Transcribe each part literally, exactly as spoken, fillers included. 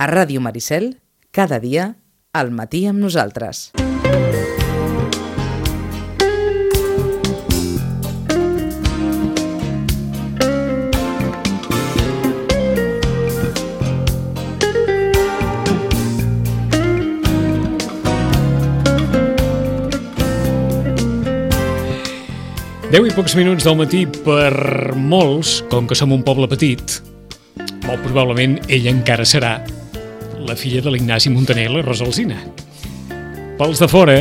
A Ràdio Maricel, cada dia, al matí amb nosaltres. Deu i pocs minuts del matí per molts, com que som un poble petit, molt probablement ella encara serà la filla de l'Ignasi Muntaner i la Rosa Alsina. Pels de fora,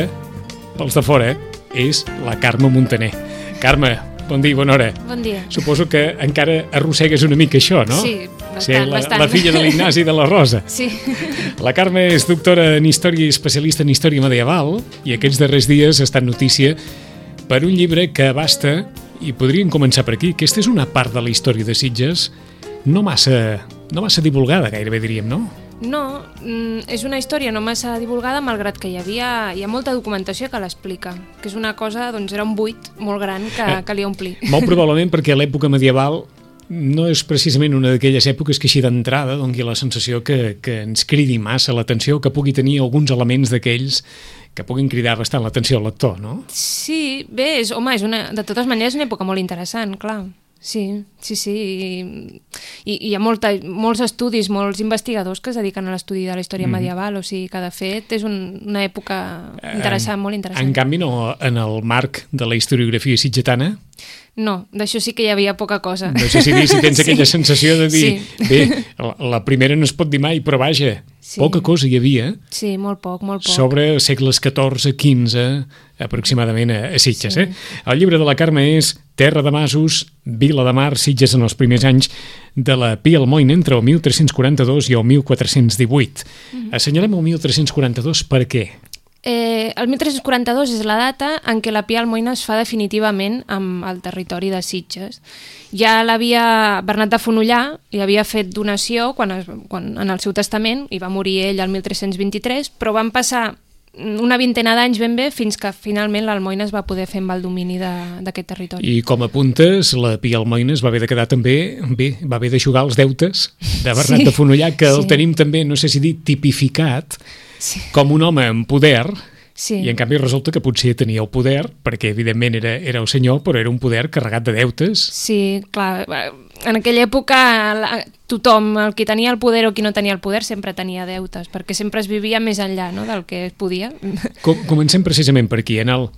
pels de fora, és la Carme Muntaner. Carme, bon dia, bona hora. Bon dia. Suposo que encara arrossegues una mica això, no? Sí, bastant, Ser la, bastant. la filla de l'Ignasi i de la Rosa. Sí. La Carme és doctora en Història i especialista en Història Medieval i aquests darrers dies ha estat notícia per un llibre que abasta, i podríem començar per aquí, aquesta és una part de la història de Sitges no massa, no massa divulgada, gairebé diríem, no? No, és una història no massa divulgada, malgrat que hi havia hi ha molta documentació que l'explica, que és una cosa, doncs era un buit molt gran que Eh, calia omplir. Molt probablement perquè l'època medieval no és precisament una d'aquelles èpoques que així d'entrada doni la sensació que, que ens cridi massa l'atenció, que pugui tenir alguns elements d'aquells que puguin cridar bastant l'atenció al lector, no? Sí, bé, és, home, és una, de totes maneres una època molt interessant, clar. Sí, sí, sí. I, i hi ha molta, molts estudis, molts investigadors que es dediquen a l'estudi de la història mm. medieval, o sigui que de fet és un, una època interessant, en, molt interessant. En canvi, no, en el marc de la historiografia sitgetana, no, d'això sí que hi havia poca cosa. no sé si, dir, si tens Sí. aquella sensació de dir, Sí. bé, la, la primera no es pot dir mai, però vaja, Sí. poca cosa hi havia Sí, molt poc, molt poc. sobre segles catorze quinze aproximadament a, a Sitges. Sí. Eh? El llibre de la Carme és Terra de Masos, Vila de Mar, Sitges en els primers anys de la Pia Almoina entre el mil tres-cents quaranta-dos i el mil quatre-cents divuit. Mm-hmm. Assenyalem el mil tres-cents quaranta-dos per què? Eh, el mil tres-cents quaranta-dos és la data en què la Pia Almoina es fa definitivament amb el territori de Sitges. Ja l'havia Bernat de Fonollar, li havia fet donació quan, es, quan en el seu testament, i va morir ell el mil tres-cents vint-i-tres, però van passar una vintena d'anys ben bé fins que finalment l'Almoina es va poder fer amb el domini d'aquest territori. I com apuntes, la Pia Almoina es va haver de quedar també, bé, va haver de jugar els deutes de Bernat Sí, de Fonollar, que el sí. tenim també, no sé si dir, tipificat Sí. com un home amb poder, Sí. i en canvi resulta que potser tenia el poder, perquè evidentment era, era el senyor, però era un poder carregat de deutes. Sí, clar, en aquella època la, tothom, el qui tenia el poder o qui no tenia el poder, sempre tenia deutes, perquè sempre es vivia més enllà, no?, del que es podia. Com, comencem precisament per aquí, en el,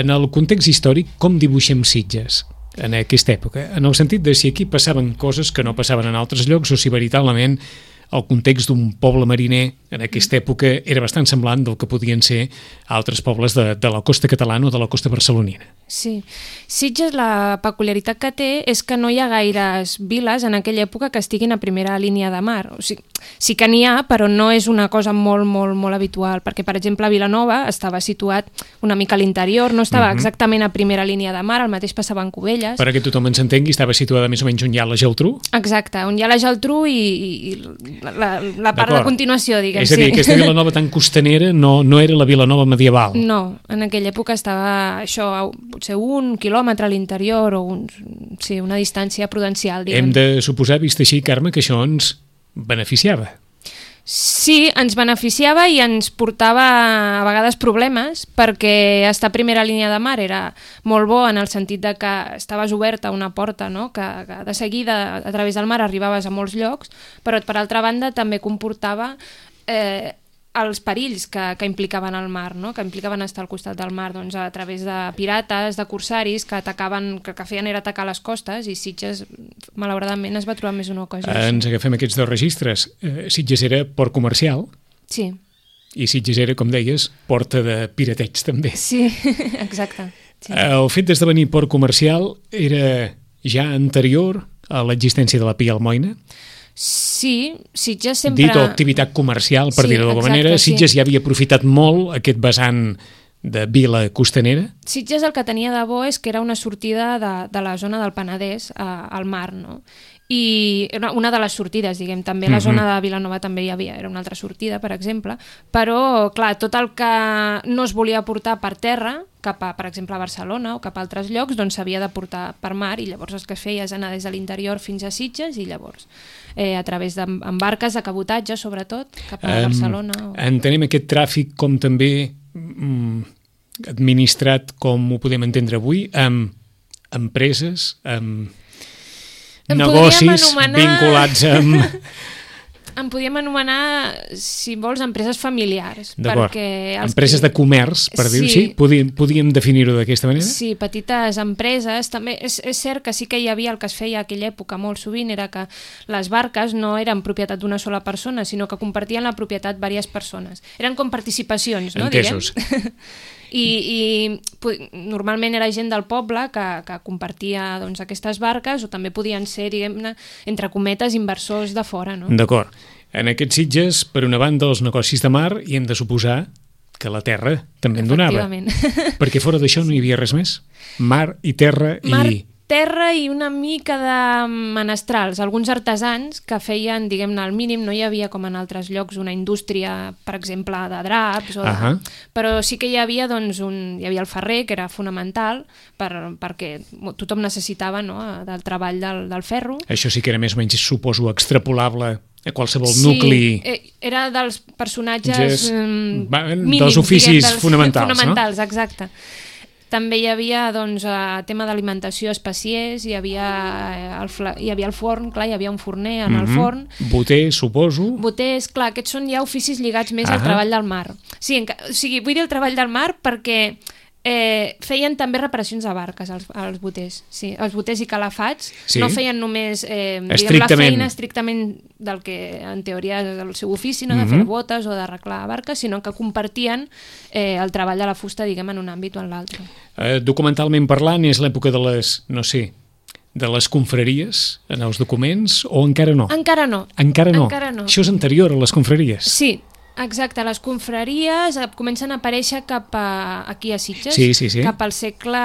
en el context històric, com dibuixem Sitges en aquesta època? En el sentit de si aquí passaven coses que no passaven en altres llocs o si veritablement el context d'un poble mariner en aquesta època era bastant semblant del que podien ser altres pobles de, de la costa catalana o de la costa barcelonina. Sí. Sitges, la peculiaritat que té és que no hi ha gaires viles en aquella època que estiguin a primera línia de mar. O sigui, sí que n'hi ha, però no és una cosa molt, molt, molt habitual, perquè, per exemple, Vilanova estava situat una mica a l'interior, no estava uh-huh. exactament a primera línia de mar, el mateix passava en Cubelles. Per a que tothom ens entengui, estava situada més o menys on hi ha la Geltrú? Exacte, on hi ha la Geltrú i, i la, la part de continuació, diguem. És a dir, sí. aquesta Vilanova tan costanera no, no era la Vilanova medieval. No, en aquella època estava això, potser un quilòmetre a l'interior o un, sí, una distància prudencial, diguem. Hem de suposar, vist així, Carme, que això ens beneficiava. Sí, ens beneficiava i ens portava a vegades problemes, perquè estar a primera línia de mar era molt bo en el sentit de que estaves oberta una porta, no?, que, que de seguida a través del mar arribaves a molts llocs, però per altra banda també comportava eh, els perills que, que implicaven el mar, no?, que implicaven estar al costat del mar, doncs a través de pirates, de corsaris que atacaven, que, que feien era atacar les costes, i Sitges malauradament es va trobar més una ocasió. Ens agafem aquests dos registres. Eh, Sitges era port comercial. Sí. I Sitges era, com deies, porta de pirateig també. Sí, exacte. Sí. El fet d'esdevenir port comercial era ja anterior a l'existència de la Pia Almoina? Sí, Sitges sempre... Dit o activitat comercial, per Sí, dir-ho d'alguna exacte, manera, sí. Sitges ja havia aprofitat molt aquest vessant de vila costanera? Sitges el que tenia de bo és que era una sortida de, de la zona del Penedès a, al mar, no? i una de les sortides, diguem, també la zona de Vilanova també hi havia, era una altra sortida, per exemple, però, clar, tot el que no es volia portar per terra, cap a, per exemple, a Barcelona o cap a altres llocs, doncs s'havia de portar per mar, i llavors el que es feia és anar des de l'interior fins a Sitges, i llavors eh, a través d'embarques de cabotatge, sobretot, cap a um, Barcelona. O... Entenem aquest tràfic com també mm, administrat, com ho podem entendre avui, amb empreses, amb negocis anomenar... vinculats amb... En podíem anomenar, si vols, empreses familiars. Perquè els empreses que... de comerç, per sí. dir-ho així? Podíem, podíem definir-ho d'aquesta manera? Sí, petites empreses. També és, és cert que sí que hi havia el que es feia a aquella època molt sovint, era que les barques no eren propietat d'una sola persona, sinó que compartien la propietat diverses persones. Eren com participacions, no? Entesos. Diguem? I, i normalment era gent del poble que, que compartia doncs, aquestes barques, o també podien ser, diguem-ne, entre cometes, inversors de fora, no? D'acord. En aquests Sitges, per una banda, els negocis de mar, i hem de suposar que la terra també en donava. Perquè fora d'això no hi havia res més. Mar i terra i... Mar, terra i una mica de menestrals, alguns artesans que feien, diguem-ne, al mínim, no hi havia com en altres llocs una indústria, per exemple, de draps, o de... uh-huh. però sí que hi havia, doncs, un... hi havia el ferrer, que era fonamental, per... perquè tothom necessitava, no?, del treball del, del ferro. Això sí que era més o menys, suposo, extrapolable a qualsevol sí, nucli... Sí, era dels personatges mm, mínims, dels oficis diguem, dels fonamentals, fonamentals, no? Exacte. També hi havia, doncs, eh, tema d'alimentació, especiers, hi havia, eh, el fla... hi havia el forn, clar, hi havia un forner en mm-hmm. el forn. Boter, suposo. Boters, clar, aquests són ja oficis lligats més ah al treball del mar. Sí, enca... o sigui, vull dir el treball del mar perquè eh, feien també reparacions de barques, els, els boters. Sí, els boters i calafats sí. no feien només eh, diguem, la feina estrictament del que en teoria és el seu ofici, no? de mm-hmm. fer botes o d'arreglar barques, sinó que compartien eh, el treball de la fusta, diguem, en un àmbit o en l'altre. Eh, documentalment parlant, és l'època de les, no sé, de les confraries en els documents, o encara no? Encara no. Encara no? Encara no. Això és anterior a les confraries? Sí, exacte. Les confraries comencen a aparèixer cap a, aquí a Sitges, sí, sí, sí. cap al segle...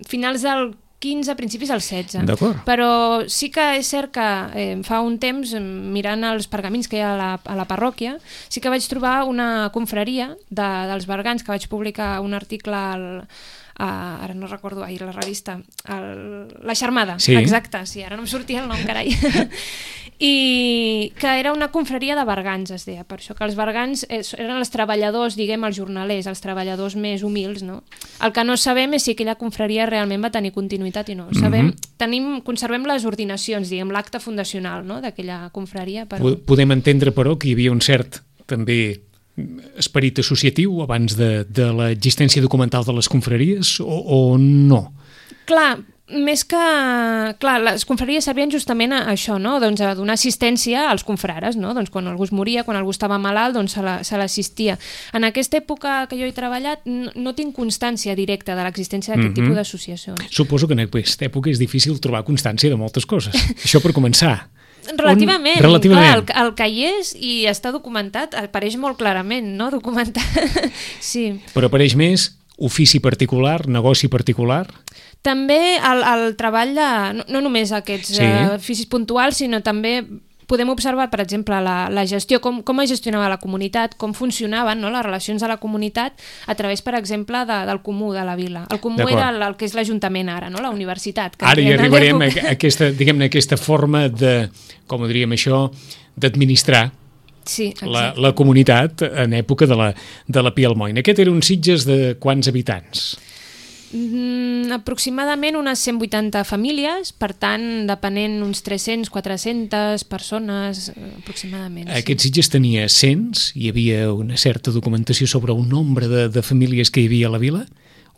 finals del quinze, principis del setze. D'acord. Però sí que és cert que eh, fa un temps, mirant els pergamins que hi ha a la, a la parròquia, sí que vaig trobar una confraria de, dels bergants, que vaig publicar un article al, a, ara no recordo, ahir la revista, el, La Xarmada, sí. exacte, sí, ara no em sortia el nom, carai. I que era una confraria de bergants, es deia, per això que els bergants eren els treballadors, diguem, els jornalers, els treballadors més humils, no? El que no sabem és si aquella confraria realment va tenir continuïtat i no. Sabem, mm-hmm. tenim, conservem les ordinacions, diguem, l'acte fundacional, no?, d'aquella confraria. Però... Podem entendre, però, que hi havia un cert, també, esperit associatiu abans de, de l'existència documental de les confraries, o, o no? Clar, més que... Clar, les confraries servien justament a això, no?, doncs a donar assistència als confrares, no?, doncs quan algú es moria, quan algú estava malalt, doncs se l'assistia. En aquesta època que jo he treballat no, no tinc constància directa de l'existència d'aquest mm-hmm. tipus d'associacions. Suposo que en aquesta època és difícil trobar constància de moltes coses. Això per començar. Relativament, On... Relativament. Clar, el, el que hi és i està documentat apareix molt clarament, no?, documentat. Sí. Però apareix més ofici particular, negoci particular? També el, el treball de, no, no només aquests sí. uh, oficis puntuals, sinó també podem observar, per exemple, la, la gestió, com, com es gestionava la comunitat, com funcionaven, no?, les relacions de la comunitat a través, per exemple, de, del comú de la vila. El comú era el, el que és l'Ajuntament ara, no?, la universitat. Que ara hi arribarem a, a aquesta, diguem-ne, aquesta forma de, com ho diríem això, d'administrar sí, la, la comunitat en època de la, de la Pia Almoina. Aquest era un Sitges de quants habitants? Mm, aproximadament unes cent vuitanta famílies, per tant, depenent uns tres-cents, quatre-centes persones, aproximadament. Aquest sí. Sitges tenia cens? Hi havia una certa documentació sobre un nombre de, de famílies que hi havia a la vila?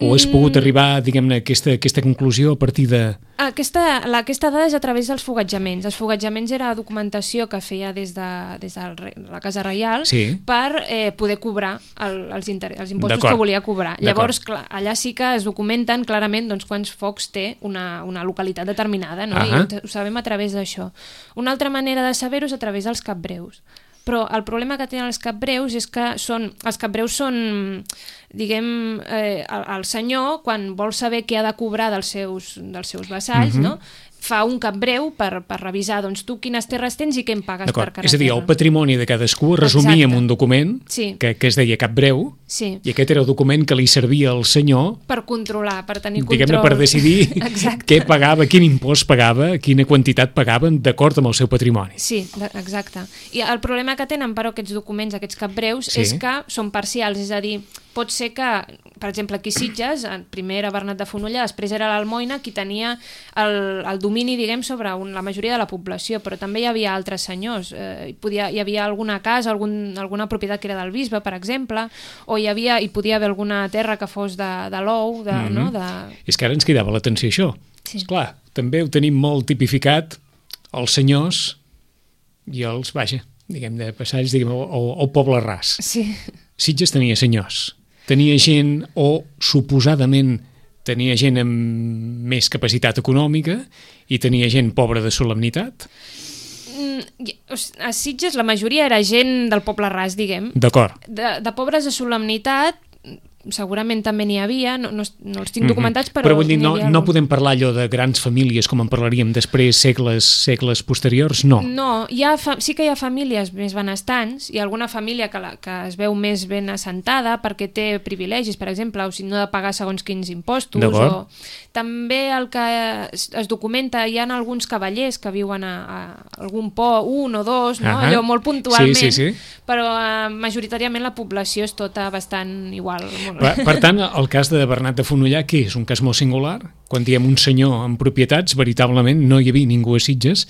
O has pogut arribar, diguem-ne, a aquesta, aquesta conclusió a partir de... Aquesta, la, aquesta dada és a través dels fogatjaments. Els fogatjaments era documentació que feia des de, des de la Casa Reial sí. per eh, poder cobrar el, els, inter... els impostos que volia cobrar. Llavors, clar, allà sí que es documenten clarament doncs, quants focs té una, una localitat determinada, no? Uh-huh. I ho, ho sabem a través d'això. Una altra manera de saber-ho és a través dels capbreus. Però el problema que tenen els capbreus és que són, els capbreus són, diguem, eh, el, el senyor, quan vol saber què ha de cobrar dels seus, dels seus vassalls, uh-huh. no? fa un cap breu per, per revisar doncs, tu quines terres tens i què em pagues per cada És a dir, el terra. patrimoni de cadascú es resumia en un document sí. que, que es deia cap breu, sí. i aquest era el document que li servia al senyor per controlar, per tenir control. diguem-ne, per decidir què pagava, quin impost pagava, quina quantitat pagaven d'acord amb el seu patrimoni. Sí, exacte. I el problema que tenen, però, aquests documents, aquests cap breus, sí. és que són parcials, és a dir, pot ser que, per exemple, aquí a Sitges, primer era Bernat de Fonollà, després era l'Almoina, qui tenia el, el domini, diguem, sobre un, la majoria de la població, però també hi havia altres senyors. Eh, hi, podia, hi havia alguna casa, algun, alguna propietat que era del bisbe, per exemple, o hi, havia, hi podia haver alguna terra que fos de, de l'ou, de, mm-hmm. no? De... És que ara ens cridava l'atenció això. Sí. Esclar, també ho tenim molt tipificat, els senyors i els, vaja, diguem, de passalls, diguem, o, o poble ras. Sí. Sitges tenia senyors. Tenia gent, o suposadament tenia gent amb més capacitat econòmica i tenia gent pobra de solemnitat? Mm, a Sitges la majoria era gent del poble ras, diguem. D'acord. De, de pobres de solemnitat segurament també n'hi havia, no, no, no els tinc documentats, però... Però vull dir, no, no podem parlar allò de grans famílies com en parlaríem després, segles, segles posteriors, no. No, hi ha fa... sí que hi ha famílies més benestants, hi ha alguna família que, la, que es veu més ben assentada perquè té privilegis, per exemple, o si no ha de pagar segons quins impostos. O... També el que es, es documenta, hi ha alguns cavallers que viuen a, a algun po, un o dos, no? Uh-huh. Allò molt puntualment, sí, sí, sí. Però uh, majoritàriament la població és tota bastant igual. Per, per tant, el cas de Bernat de Fonollà, que és un cas molt singular, quan diem un senyor amb propietats, veritablement no hi havia ningú a Sitges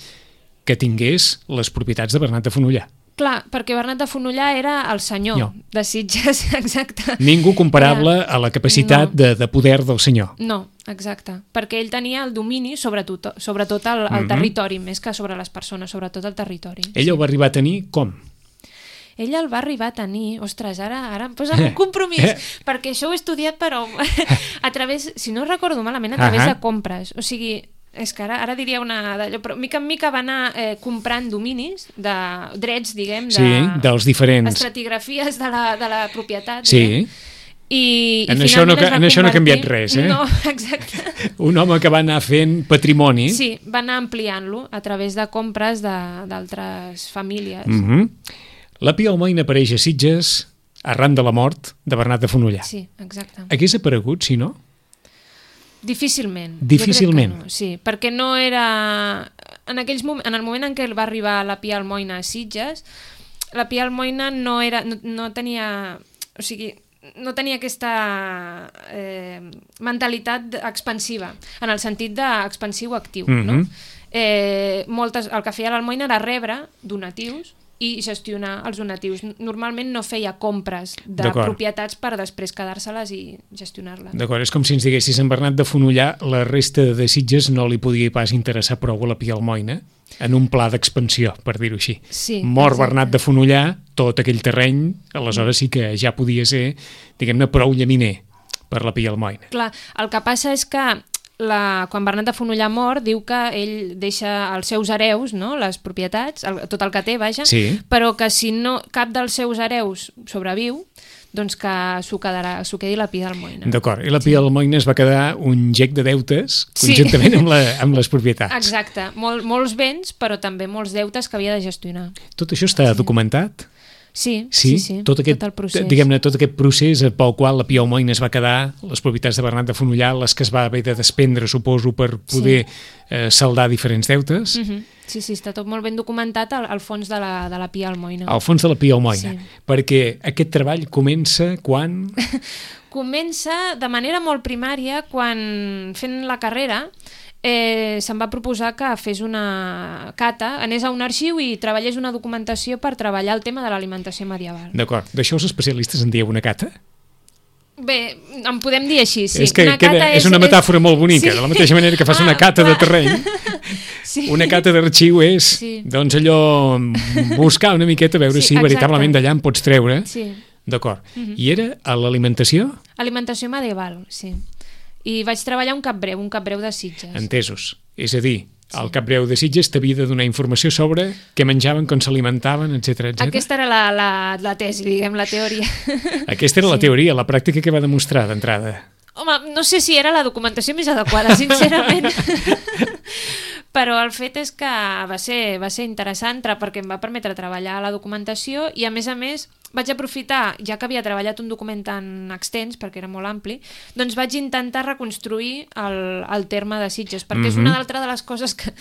que tingués les propietats de Bernat de Fonollà. Clar, perquè Bernat de Fonollà era el senyor no. de Sitges, exacte. Ningú comparable era... a la capacitat no. de, de poder del senyor. No, exacte, perquè ell tenia el domini sobre tot, sobre tot el, el mm-hmm. territori, més que sobre les persones, sobretot el territori. Ell sí. ho va arribar a tenir com? Ell el va arribar a tenir, ostres, ara, ara em posa un compromís, eh? perquè això ho he estudiat, però a través, si no recordo malament, a través uh-huh. de compres. O sigui, és que ara, ara diria una d'allò, però mica en mica va anar eh, comprant dominis, de drets, diguem, de, sí, dels diferents estratigrafies de la, de la propietat. Sí. Diguem. I, en i això no, en convertir... això no ha canviat res, eh? No, exacte. Un home que va anar fent patrimoni. Sí, va anar ampliant-lo a través de compres d'altres famílies. Mhm. La Pia Almoina apareix a Sitges arran de la mort de Bernat de Fonollà. Sí, exacte. Hagués aparegut, si no? Difícilment. Difícilment. No, sí, perquè no era... En, aquells mom... en el moment en què va arribar la Pia Almoina a Sitges, la Pia Almoina no, era... no, no tenia... O sigui, no tenia aquesta eh, mentalitat expansiva, en el sentit d'expansiu actiu, mm-hmm. no? Eh, moltes... El que feia l'Almoina era rebre donatius i gestionar els donatius. Normalment no feia compres de propietats per després quedar-se-les i gestionar-les. D'acord, és com si ens diguessis en Bernat de Fonollà la resta de Sitges no li podia pas interessar prou a la Pia Almoina en un pla d'expansió, per dir-ho així. Sí, Mor exacte. Bernat de Fonollà, tot aquell terreny, aleshores sí que ja podia ser, diguem-ne, prou llaminer per la Pia Almoina. Clar, el que passa és que La, quan Bernat de Fonollà mor, diu que ell deixa els seus hereus, no? Les propietats, el, tot el que té, vaja, sí. però que si no cap dels seus hereus sobreviu, doncs que s'ho quedi la Pia Almoina. D'acord, i la Pia Almoina es va quedar un gec de deutes conjuntament sí. amb, la, amb les propietats. Exacte, Mol, molts béns, però també molts deutes que havia de gestionar. Tot això està sí. documentat? Sí, sí, sí, sí, tot, aquest, tot el procés. Diguem-ne, tot aquest procés pel qual la Pia Almoina es va quedar, les propietats de Bernat de Fonollà, les que es va haver de desprendre, suposo, per poder sí. eh, saldar diferents deutes. Uh-huh. Sí, sí, està tot molt ben documentat al, al fons de la, de la Pia Almoina. Al fons de la Pia Almoina, sí. perquè aquest treball comença quan... Comença de manera molt primària quan, fent la carrera, Eh, se'm va proposar que fes una cata, anés a un arxiu i treballés una documentació per treballar el tema de l'alimentació medieval. D'acord. D'això els especialistes en dieu una cata? Bé, en podem dir així, sí. És que una queda, cata és, és una metàfora és... molt bonica, sí. De la mateixa manera que fas ah, una cata clar. de terreny. Sí. Una cata d'arxiu és, sí. doncs allò, buscar una miqueta, veure sí, si veritablement d'allà en pots treure. Sí. D'acord. Uh-huh. I era a l'alimentació? Alimentació medieval, sí. I vaig treballar un cap breu, un cap breu de Sitges. Entesos. És a dir, el sí. cap breu de Sitges t'havia de donar informació sobre què menjaven, com s'alimentaven, etcètera, etcètera. Aquesta era la, la, la tesi, diguem, la teoria. Aquesta era sí. la teoria, la pràctica que va demostrar d'entrada. Home, no sé si era la documentació més adequada, sincerament. Però el fet és que va ser, va ser interessant perquè em va permetre treballar la documentació i, a més a més, vaig aprofitar, ja que havia treballat un document tan extens, perquè era molt ampli, doncs vaig intentar reconstruir el, el terme de Sitges, perquè mm-hmm. és una altra de les coses que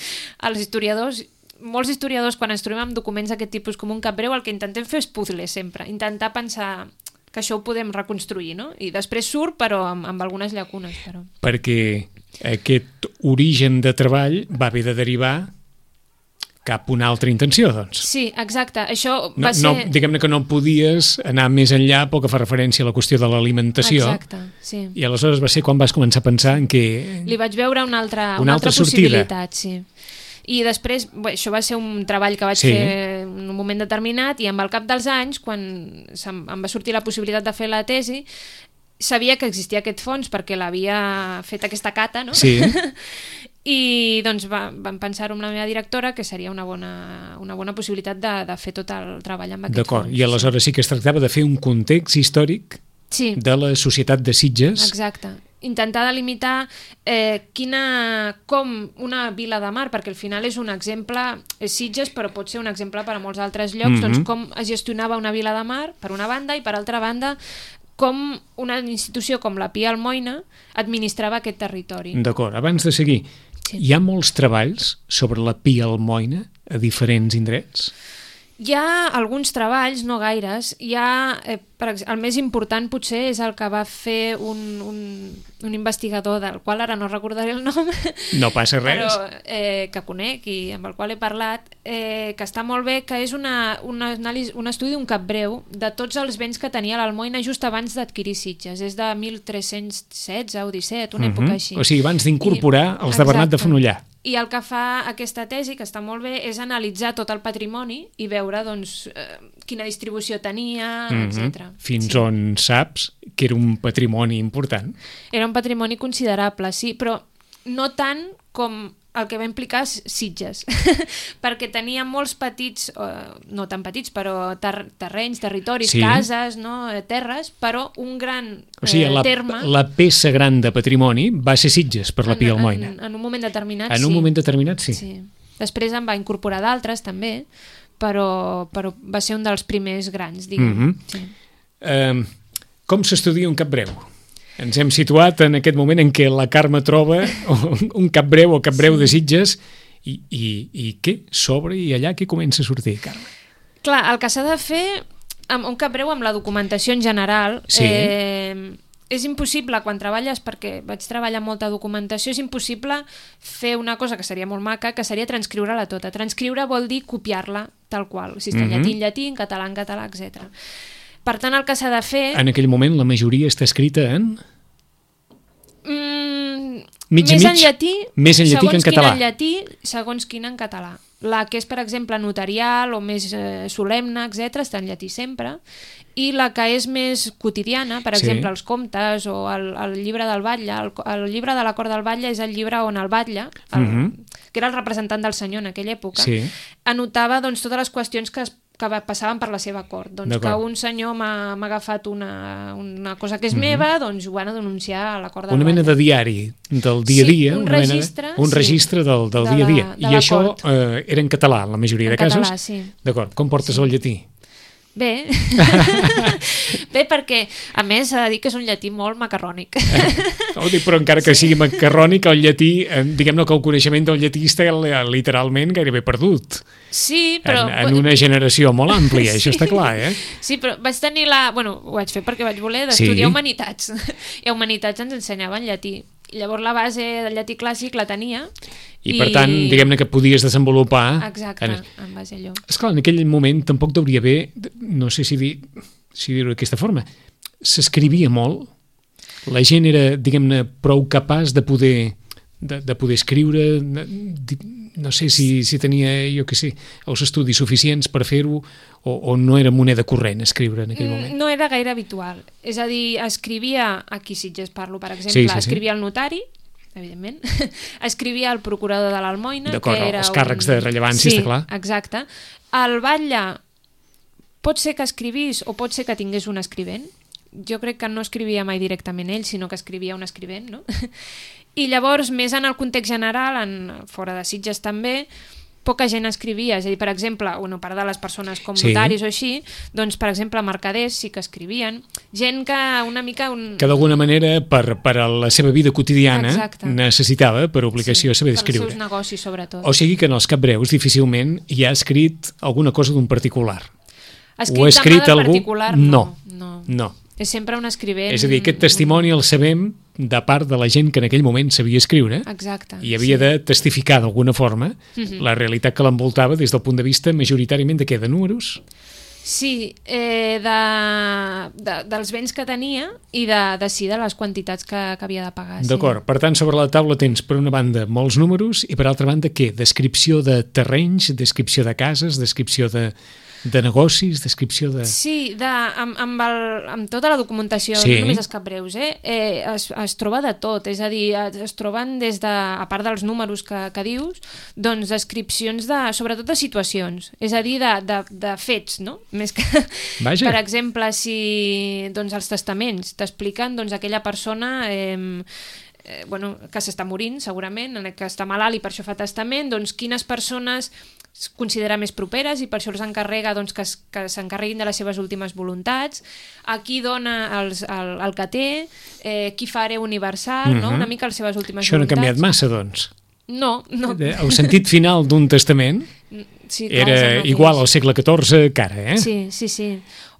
els historiadors, molts historiadors, quan ens trobem amb documents d'aquest tipus com un cap breu, el que intentem fer és puzzle sempre, intentar pensar que això ho podem reconstruir, no? I després surt, però amb, amb algunes llacunes. Però. Perquè aquest origen de treball va haver de derivar cap a una altra intenció, doncs. Sí, exacte. Això no, va ser... no, diguem-ne que no podies anar més enllà pel que fa referència a la qüestió de l'alimentació. Exacte, sí. I aleshores va ser quan vas començar a pensar en què... Li vaig veure una altra, una una altra, altra possibilitat, sí. I després, bé, això va ser un treball que vaig sí. fer en un moment determinat i amb el cap dels anys, quan em va sortir la possibilitat de fer la tesi, sabia que existia aquest fons perquè l'havia fet aquesta cata, no? Sí. I doncs va, vam pensar-ho amb la meva directora que seria una bona, una bona possibilitat de, de fer tot el treball amb aquest D'acord. fons. I aleshores sí que es tractava de fer un context històric sí. de la societat de Sitges. Exacte. Intentar delimitar eh, quina, com una vila de mar, perquè al final és un exemple, és Sitges, però pot ser un exemple per a molts altres llocs, mm-hmm. doncs com es gestionava una vila de mar, per una banda, i per altra banda, com una institució com la Pia Almoina administrava aquest territori. D'acord, abans de seguir, sí. hi ha molts treballs sobre la Pia Almoina a diferents indrets? Hi ha alguns treballs, no gaires. Hi ha, eh, per exemple, el més important potser és el que va fer un, un, un investigador del qual ara no recordaré el nom. No passa res. Però eh, que conec i amb el qual he parlat, eh, que està molt bé, que és una, una anàlisi, un estudi d'un cap breu de tots els béns que tenia l'Almoina just abans d'adquirir Sitges. És de mil tres-cents setze o disset, una uh-huh. època així. O sigui, abans d'incorporar I, els de Bernat de Fenollar. I el que fa aquesta tesi, que està molt bé, és analitzar tot el patrimoni i veure doncs, eh, quina distribució tenia, mm-hmm. etcètera. Fins sí. on saps que era un patrimoni important? Era un patrimoni considerable, sí, però no tant com el que va implicar Sitges, perquè tenia molts petits, eh, no tan petits, però ter terrenys, territoris, sí. cases, no? terres, però un gran eh, o sigui, la, terme... la peça gran de patrimoni va ser Sitges per la Pia Almoina. En, en un moment determinat, en sí. En un moment determinat, sí. sí. Després en va incorporar d'altres, també, però, però va ser un dels primers grans, diguem. Mm-hmm. sí. uh, com s'estudia un cap breu? Ens hem situat en aquest moment en què la Carme troba un cap breu o cap breu sí. de Sitges i, i, i què? S'obre i allà què comença a sortir, Carme? Clar, el que s'ha de fer amb un cap breu amb la documentació en general sí. eh, és impossible quan treballes, perquè vaig treballar molta documentació, és impossible fer una cosa que seria molt maca, que seria transcriure-la tota. Transcriure vol dir copiar-la tal qual, si està en mm-hmm. llatí en llatí, en català en català, etcètera. Per tant, el que s'ha de fer... En aquell moment la majoria està escrita en... Mm, mig més mig? en llatí, més en llatí que en català. Segons quina en llatí, segons quina en català. La que és, per exemple, notarial o més eh, solemne, etcètera, està en llatí sempre. I la que és més quotidiana, per exemple, sí. els comptes o el, el llibre del batlle, el, el llibre de l'acord del batlle és el llibre on el batlle, el, mm-hmm. que era el representant del senyor en aquella època, sí. anotava doncs, totes les qüestions que es que passaven per la seva cort. Doncs que un senyor m'ha agafat una, una cosa que és mm-hmm. meva, doncs ho van a denunciar a la cort del Una mena batlle. de diari del dia a dia. Sí, un una registre. Mena, un sí, registre del, del de dia a dia. La, I això eh, era en català, la majoria en de casos. Català, sí. D'acord. Com portes sí. el llatí? Bé, bé perquè a més s'ha de dir que és un llatí molt macarrònic. Eh, però encara que sigui macarrònic, el llatí, eh, diguem-ne que el coneixement del llatí està literalment gairebé perdut. Sí, però... En, en una generació molt àmplia, sí. això està clar, eh? Sí, però vaig tenir la... Bueno, ho vaig fer perquè vaig voler d'estudiar sí. humanitats. I a humanitats ens ensenyaven llatí. Llavors la base del llatí clàssic la tenia. I, i... per tant, diguem-ne que podies desenvolupar... Exacte, en, en base a allò. Esclar, en aquell moment tampoc hauria haver, no sé si dir, si dir-ho d'aquesta forma, s'escrivia molt, la gent era, diguem-ne, prou capaç de poder, de, de poder escriure, no sé si, si tenia, jo què sé, els estudis suficients per fer-ho, o, o no era moneda corrent escriure en aquell moment. No era gaire habitual. És a dir, escrivia, aquí Sitges parlo, per exemple, sí, sí, sí. escrivia el notari, evidentment, escrivia el procurador de l'Almoina, que era els càrrecs un... de rellevància, sí, està clar. Exacte. El batlle pot ser que escrivís o pot ser que tingués un escrivent, jo crec que no escrivia mai directament ell, sinó que escrivia un escrivent, no? I llavors, més en el context general, en, fora de Sitges també, poca gent escrivia, és a dir, per exemple, bueno, a part de les persones com Sí. notaris o així, doncs, per exemple, mercaders sí que escrivien, gent que una mica... Un... Que d'alguna manera, per, per a la seva vida quotidiana, Exacte. necessitava, per obligació, saber d'escriure. Per als seus negocis, sobretot. O sigui que en els capbreus difícilment hi ha escrit alguna cosa d'un particular. Escrit Ho ha escrit de mà del algú? particular, No. no. No. És sempre un escrivent... És a dir, aquest testimoni el sabem de part de la gent que en aquell moment sabia escriure Exacte. i havia sí. de testificar d'alguna forma Mhm. la realitat que l'envoltava des del punt de vista majoritàriament de què? De números? Sí, eh, de, de, dels béns que tenia i de, de sí, de les quantitats que, que havia de pagar. D'acord. Per tant, sobre la taula tens, per una banda, molts números i, per altra banda, què? Descripció de terrenys, descripció de cases, descripció de, de negocis, descripció de... Sí, de, amb, amb, el, amb tota la documentació, Sí. no només els capbreus, eh? Eh, es, es troba de tot, és a dir, es, es troben des de, a part dels números que, que dius, doncs descripcions de, sobretot de situacions, és a dir, de, de, de fets, no? Més que... Vaja. Per exemple, si doncs, els testaments t'expliquen doncs, aquella persona... Eh, eh, bueno, que s'està morint, segurament, que està malalt i per això fa testament, doncs quines persones es considera més properes i per això els encarrega doncs, que, es, que s'encarreguin de les seves últimes voluntats, a qui dona els, el, el que té, eh, qui fa hereu universal, Mhm. no? Una mica les seves últimes Això no ha voluntats. canviat massa, doncs. No, no. El sentit final d'un testament Sí, clar, és el era mateix. igual al segle catorze que ara, eh? Sí, sí, sí.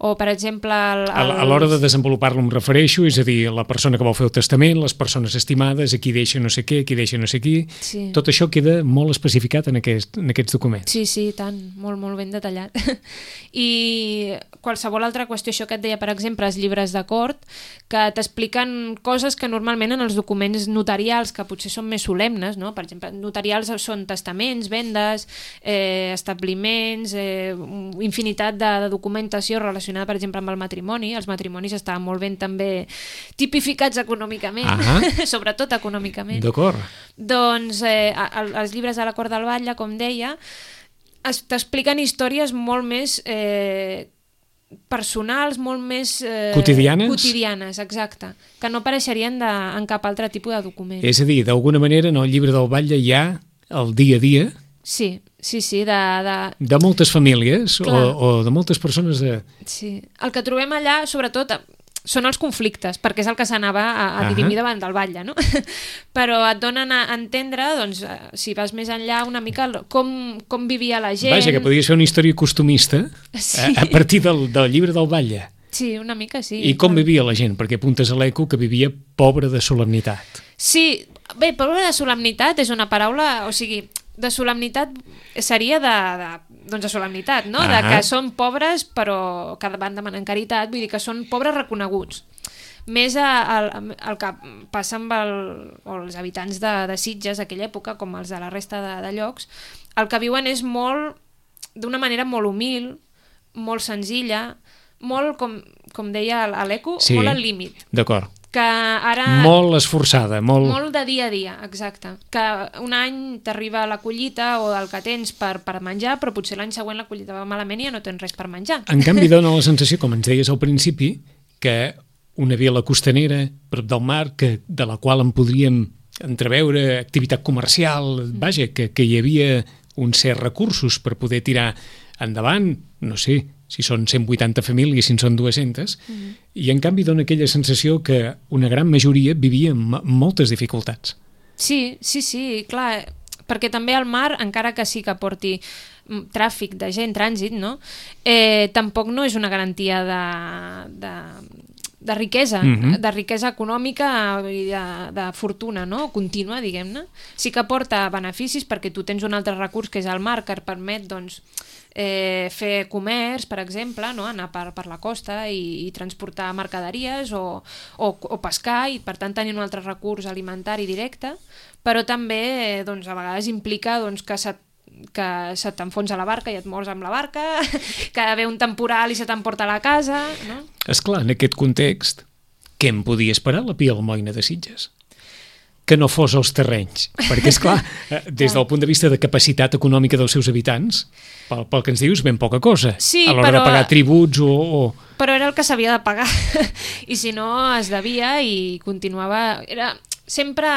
O, per exemple... El, el... A a l'hora de desenvolupar-lo em refereixo, és a dir, la persona que vol fer el testament, les persones estimades, a qui deixa no sé què, a qui deixa no sé qui... Sí. Tot això queda molt especificat en, aquest, en aquests documents. Sí, sí, tant, molt, molt ben detallat. I qualsevol altra qüestió, això que et deia, per exemple, els llibres d'acord, que t'expliquen coses que normalment en els documents notarials, que potser són més solemnes, no? Per exemple, notarials són testaments, vendes, eh, establiments, eh, infinitat de, de documentació relacionada, per exemple, amb el matrimoni. Els matrimonis estaven molt ben també tipificats econòmicament, Ah. sobretot econòmicament. D'acord. Doncs eh, el, els llibres de la Cort del Batlle, com deia, es- t'expliquen històries molt més eh, personals, molt més... Eh, Quotidianes? Quotidianes, exacte. Que no apareixerien de, en cap altre tipus de document. És a dir, d'alguna manera, en el llibre del Batlle hi ha el dia a dia Sí, sí, sí, de... de... de moltes famílies o, Clar. o de moltes persones de... Sí. El que trobem allà, sobretot, són els conflictes, perquè és el que s'anava a, a Ahà. dirimir davant del batlle, no? Però et donen a entendre, doncs, eh, si vas més enllà, una mica el- com, com vivia la gent. Vaja, que podries fer una història costumista Sí. a, a partir del, del llibre del Batlle. Sí, una mica sí. I com vivia la gent? Perquè apuntes a l'eco que vivia pobre de solemnitat. Sí, bé, pobre de solemnitat és una paraula, o sigui, de solemnitat seria de, de, doncs de solemnitat, no? De Ahà. que són pobres però que van demanant caritat, vull dir que són pobres reconeguts. Més a, a, el que passa amb el, o els habitants de, de Sitges d'aquella època, com els de la resta de, de llocs, el que viuen és molt, d'una manera molt humil, molt senzilla, molt, com, com deia l'Eco, Sí. molt al límit. D'acord. Que ara... Molt esforçada, molt... Molt de dia a dia, exacte. Que un any t'arriba la collita o el que tens per, per menjar, però potser l'any següent la collita va malament i ja no tens res per menjar. En canvi, dona la sensació, com ens deies al principi, que una vila costanera, prop del mar, que, de la qual en podríem entreveure activitat comercial, vaja, que, que hi havia uns certs recursos per poder tirar endavant, no sé, si són cent vuitanta famílies, si en són dues-centes, mm. i en canvi dona aquella sensació que una gran majoria vivia amb moltes dificultats. Sí, sí, sí, clar, perquè també el mar, encara que sí que porti tràfic de gent, trànsit, no? Eh, tampoc no és una garantia de, de, de riquesa, Mhm. de riquesa econòmica i de, de fortuna, no? Contínua, diguem-ne. Sí que porta beneficis perquè tu tens un altre recurs que és el mar, que et permet, doncs, eh, fer comerç, per exemple, no? Anar per, per la costa i, i transportar mercaderies o, o, o pescar i per tant tenir un altre recurs alimentari directe, però també eh, doncs, a vegades implica doncs, que se, que se t'enfonsa la barca i et mors amb la barca, que ve un temporal i se t'emporta a la casa, no? Esclar, en aquest context, què en podia esperar la Pia Almoina de Sitges? Que no fos els terrenys, perquè és clar, des del punt de vista de capacitat econòmica dels seus habitants, pel, pel que ens dius, ben poca cosa, Sí, a l'hora però- de pagar tributs o, o... però era el que s'havia de pagar i si no es devia i continuava... Era sempre...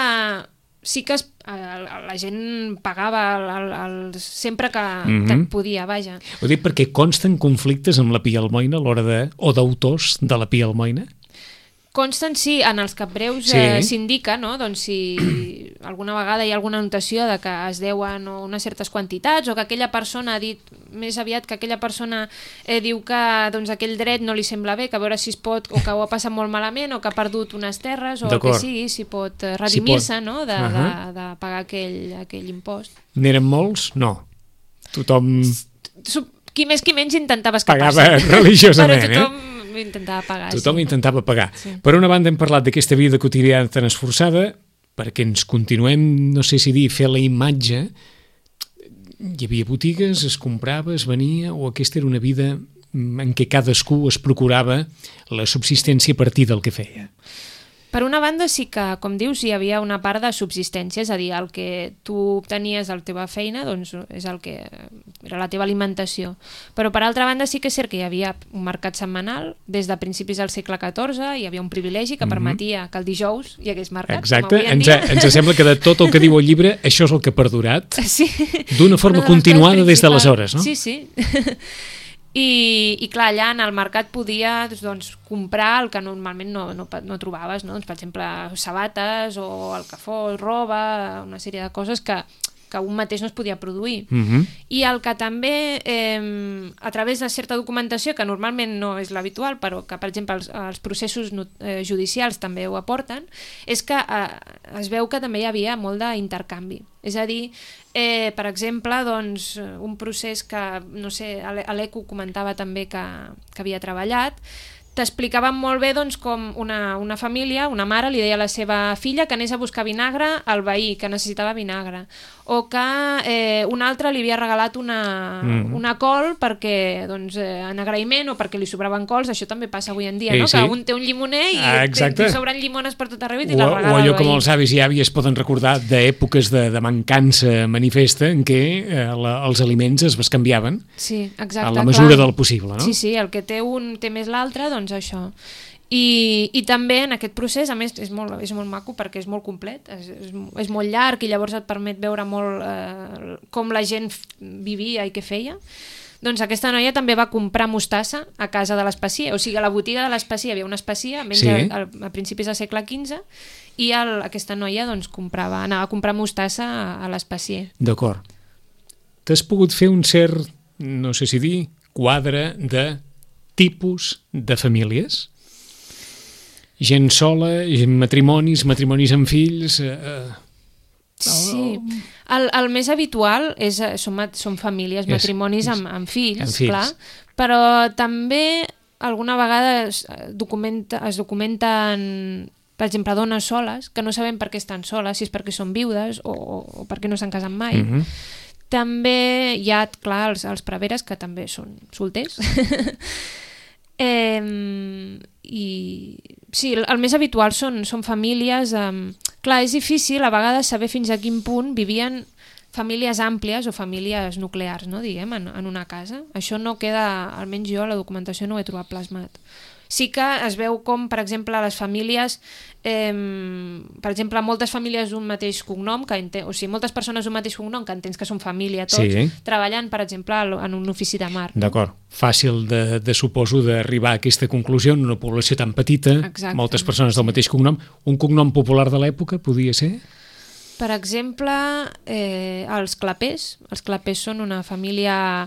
Sí que es, la gent pagava el, el, el, sempre que, mm-hmm. que podia, vaja. Ho dic perquè consten conflictes amb la Pia Almoina a l'hora de... o d'autors de la Pia Almoina? Consten, sí, en els capbreus sí. eh, s'indica, no? Doncs si alguna vegada hi ha alguna anotació de que es deuen unes certes quantitats o que aquella persona ha dit, més aviat que aquella persona eh, diu que doncs, aquell dret no li sembla bé, que a veure si es pot, o que ho ha passat molt malament, o que ha perdut unes terres, o el que sigui, si pot redimir-se, si no? de, uh-huh. de, de pagar aquell, aquell impost. N'eren molts? No. Tothom... Qui més qui menys intentava escapar-se. Pagava religiosament, però tothom... eh? intentava pagar. Tothom sí. intentava pagar. Sí. Per una banda hem parlat d'aquesta vida quotidiana tan esforçada, perquè ens continuem, no sé si dir, fer la imatge. Hi havia botigues, es comprava, es venia, o aquesta era una vida en què cadascú es procurava la subsistència a partir del que feia. Per una banda sí que, com dius, hi havia una part de subsistència, és a dir, el que tu obtenies de la teva feina doncs és el que era la teva alimentació. Però per altra banda sí que és cert que hi havia un mercat setmanal, des de principis del segle catorze, hi havia un privilegi que permetia mm-hmm. que el dijous hi hagués mercat. Exacte, ens, a, ens sembla que de tot el que diu el llibre, això és el que ha perdurat, sí. d'una forma de continuada des d'aleshores, no? Sí, sí. I, i clar, allà en el mercat podies doncs, comprar el que normalment no, no, no trobaves, no? Doncs, per exemple, sabates o el que fos, roba, una sèrie de coses que, que un mateix no es podia produir. Mm-hmm. I el que també, eh, a través de certa documentació, que normalment no és l'habitual, però que, per exemple, els, els processos eh, judicials també ho aporten, és que eh, es veu que també hi havia molt d'intercanvi. És a dir, eh, per exemple, doncs, un procés que, no sé, l'Eco comentava també que, que havia treballat, t'explicaven molt bé doncs, com una, una família, una mare, li deia a la seva filla que anés a buscar vinagre al veí, que necessitava vinagre, o que eh, un altre li havia regalat una, mm. una col perquè, doncs, eh, en agraïment o perquè li sobraven cols. Això també passa avui en dia, sí, no? Sí. Que un té un llimoner i ah, te sobren llimones per tot arreu i te la regala. O allò que molts avis i àvies poden recordar d'èpoques de, de mancança manifesta en què eh, la, els aliments es bescanviaven sí, exacte, a la mesura clar. Del possible, no? Sí, sí, el que té un té més l'altre, doncs això. I, i també en aquest procés, a més, és molt, és molt maco perquè és molt complet, és, és, és molt llarg i llavors et permet veure molt eh, com la gent vivia i què feia. Doncs aquesta noia també va comprar mostassa a casa de l'Espasier, o sigui, a la botiga de l'Espasier hi havia una Espasier, menys sí. a, a principis del segle quinze, i el, aquesta noia doncs, comprava, anava a comprar mostassa a, a l'Espasier. D'acord. T'has pogut fer un cert, no sé si dir, quadre de tipus de famílies? Gent sola, matrimonis, matrimonis amb fills... Eh, sí, el, el més habitual és, són, són famílies, matrimonis amb, amb, fills, amb fills, clar, però també alguna vegada es, documenta, es documenten, per exemple, dones soles, que no sabem per què estan soles, si és perquè són viudes o, o perquè no s'han casat mai. Mm-hmm. També hi ha, clar, els, els preveres, que també són solters. eh, i sí, el, el més habitual són, són famílies eh, clar, és difícil a vegades saber fins a quin punt vivien famílies àmplies o famílies nuclears, no, diguem, en, en una casa. Això no queda, almenys jo a la documentació no ho he trobat plasmat. Sí que es veu com, per exemple, les famílies, eh, per exemple, moltes famílies d'un mateix cognom, que enten, o sigui, moltes persones d'un mateix cognom que entens que són família tots, sí. treballant, per exemple, en un ofici de mar. D'acord. Fàcil de, de suposo d'arribar a aquesta conclusió en una població tan petita, exacte. Moltes persones del mateix cognom. Un cognom popular de l'època podia ser? Per exemple, eh, els Clapés. Els Clapés són una família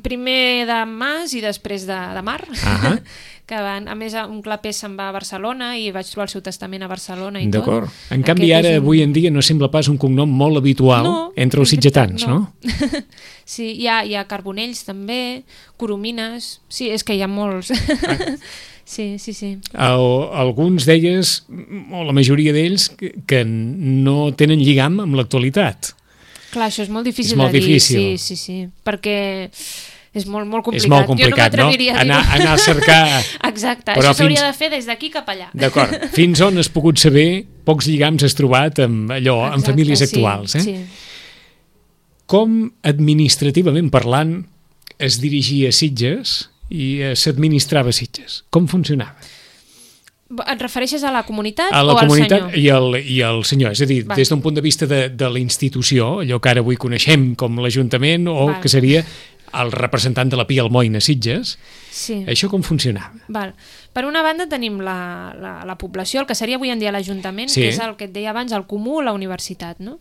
primer de mas i després de, de mar. Uh-huh. Que van, a més, un Clapés se'n va a Barcelona i vaig trobar el seu testament a Barcelona i D'acord. tot. En canvi, Aquest ara, un... avui en dia, no sembla pas un cognom molt habitual no, entre els sitgetans, no? no? Sí, hi ha, hi ha Carbonells també, Coromines, sí, és que hi ha molts. Ah. Sí, sí, sí. El, alguns d'elles, o la majoria d'ells, que, que no tenen lligam amb l'actualitat. Clar, això és molt difícil és molt de dir, difícil. sí, sí, sí, perquè és molt, molt complicat. És molt complicat, jo no? no? Anar, anar a cercar... Exacte, però això s'hauria fins... de fer des d'aquí cap allà. D'acord, fins on has pogut saber, pocs lligams has trobat amb allò, Exacte, amb famílies actuals, sí, eh? Sí. Com administrativament parlant es dirigia a Sitges i eh, s'administrava Sitges. Com funcionava? Et refereixes a la comunitat a la o comunitat al senyor? I al, i al senyor, és a dir, Val. des d'un punt de vista de, de la institució, allò que ara avui coneixem com l'Ajuntament o Val. que seria el representant de la Pia Almoina Sitges, Sí. això com funcionava? Val. Per una banda tenim la, la, la població, el que seria avui en dia l'Ajuntament, Sí. que és el que et deia abans, el comú, la universitat. No?